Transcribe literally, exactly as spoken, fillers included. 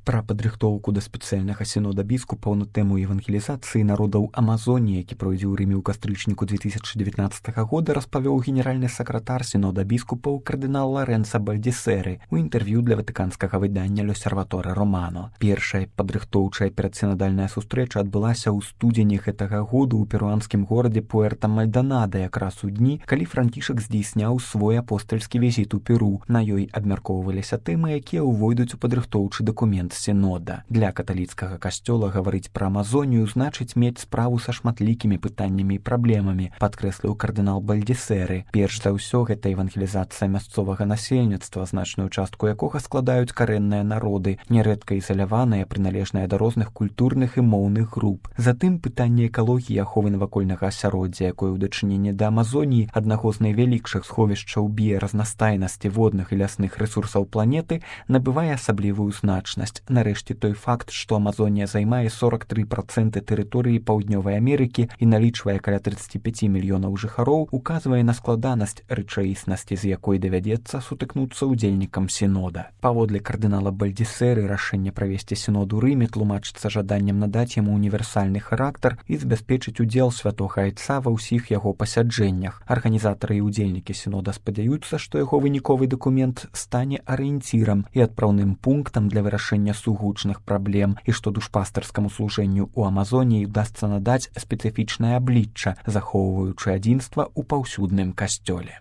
Пра падрыхтоўку да спецыяльнага сінода біскупаў на тэму евангелізацыі народаў Амазоніі, які пройдзе ў Рыме ў кастрычніку две тысячи девятнадцатого года, распавёў генеральны сакратар сінода біскупаў кардынал Лоренцо Бальдісеры ў інтэрв'ю для ватыканскага выдання «L'Osservatore Romano». Першая падрыхтоўчая перадсінадальная сустрэча адбылася ў студзені гэтага году ў перуанскім горадзе Пуэрта-Мальдонада, якраз у дні, калі Францішак здзейсняў свой апостальскі візіт у Перу. На ёй абмяркоўваліся тэмы, якія ўвойдуць у падрыхтоўчы дакумент сінода. Для каталіцкага касцёла гаварыць пра Амазонію значыць мець справу са шматлікімі пытаннямі і праблемамі, падкрэсліў кардынал Бальдісеры. Перш за ўсё, гэта евангелізацыя мясцовага насельніцтва, значную частку якога складаюць карэнныя народы, нярэдка ізаляваныя, прыналежныя да розных культурных і моўных груп. Затым пытанне экалогіі, аховы навакольнага асяроддзя, якое ў дачыненні да Амазоніі, аднаго з найвялікшых сховішчаў біяразнастайнасці водных і лясных рэсурсаў планеты, набывае асаблівую значнасць. Нарэшце той факт, што Амазонія займае сорок три проценты тэрыторыі Паўднёвай Амерыкі і налічвае каля тридцать пять мільёнаў жыхароў, указвае на складанасць рэчаіснасці, з якой давядзецца сутыкнуцца ўдзельнікам сінода. Паводле кардынала Бальдісеры, рашэнне правесці сінод у Рыме тлумачыцца жаданнем надаць яму універсальны характар і забяспечыць удзел святога айца ва ўсіх яго пасяджэннях. Арганізатары і ўдзельнікі сінода спадзяюцца, што яго выніковы дакумент стане арыенцірам і адпраўным пунктам для вырашэння сугучных праблем і што душпастарскаму служэнню ў Амазоніі удасца надаць спецыфічнае аблічча, захоўваючы адзінства ў паўсюдным касцёле.